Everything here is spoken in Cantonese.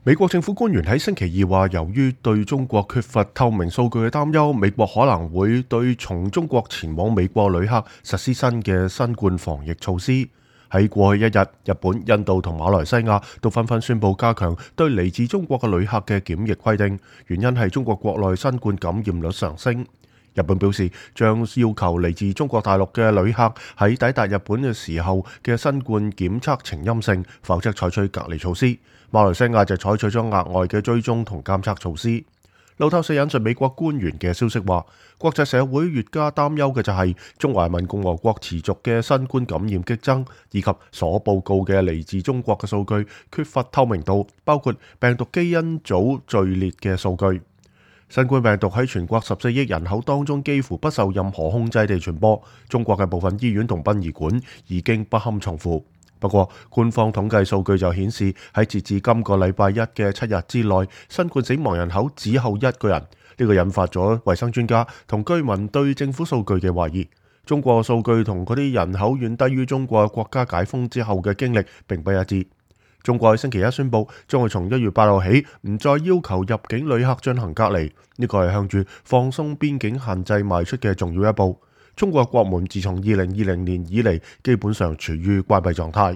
美國政府官員喺星期二話，由於對中國缺乏透明數據嘅擔憂，美國可能會對從中國前往美國旅客實施新嘅新冠防疫措施。喺過去一日，日本、印度同馬來西亞都紛紛宣布加強對嚟自中國嘅旅客嘅檢疫規定，原因係中國國內新冠感染率上升。日本表示將要求嚟自中國大陸嘅旅客喺抵達日本嘅時候嘅新冠檢測呈陰性，否則採取隔離措施。馬來西亞就採取咗額外嘅追蹤同監測措施。路透社引述美國官員嘅消息話，國際社會越加擔憂嘅就係中華人民共和國持續嘅新冠感染激增，以及所報告嘅嚟自中國嘅數據缺乏透明度，包括病毒基因組序列嘅數據。新冠病毒喺全國14億人口當中幾乎不受任何控制地傳播，中國嘅部分醫院同殯儀館已經不堪重負。不過，官方統計數據就顯示喺截至今個禮拜一嘅7日之內，新冠死亡人口只有1個人。呢個引發咗衛生專家同居民對政府數據嘅懷疑。中國數據同嗰啲人口遠低於中國國家解封之後嘅經歷並不一致。中國喺星期一宣布，將會從1月8號起唔再要求入境旅客進行隔離，呢個係向住放鬆邊境限制邁出嘅重要一步。中國國門自從2020年以嚟，基本上處於關閉狀態。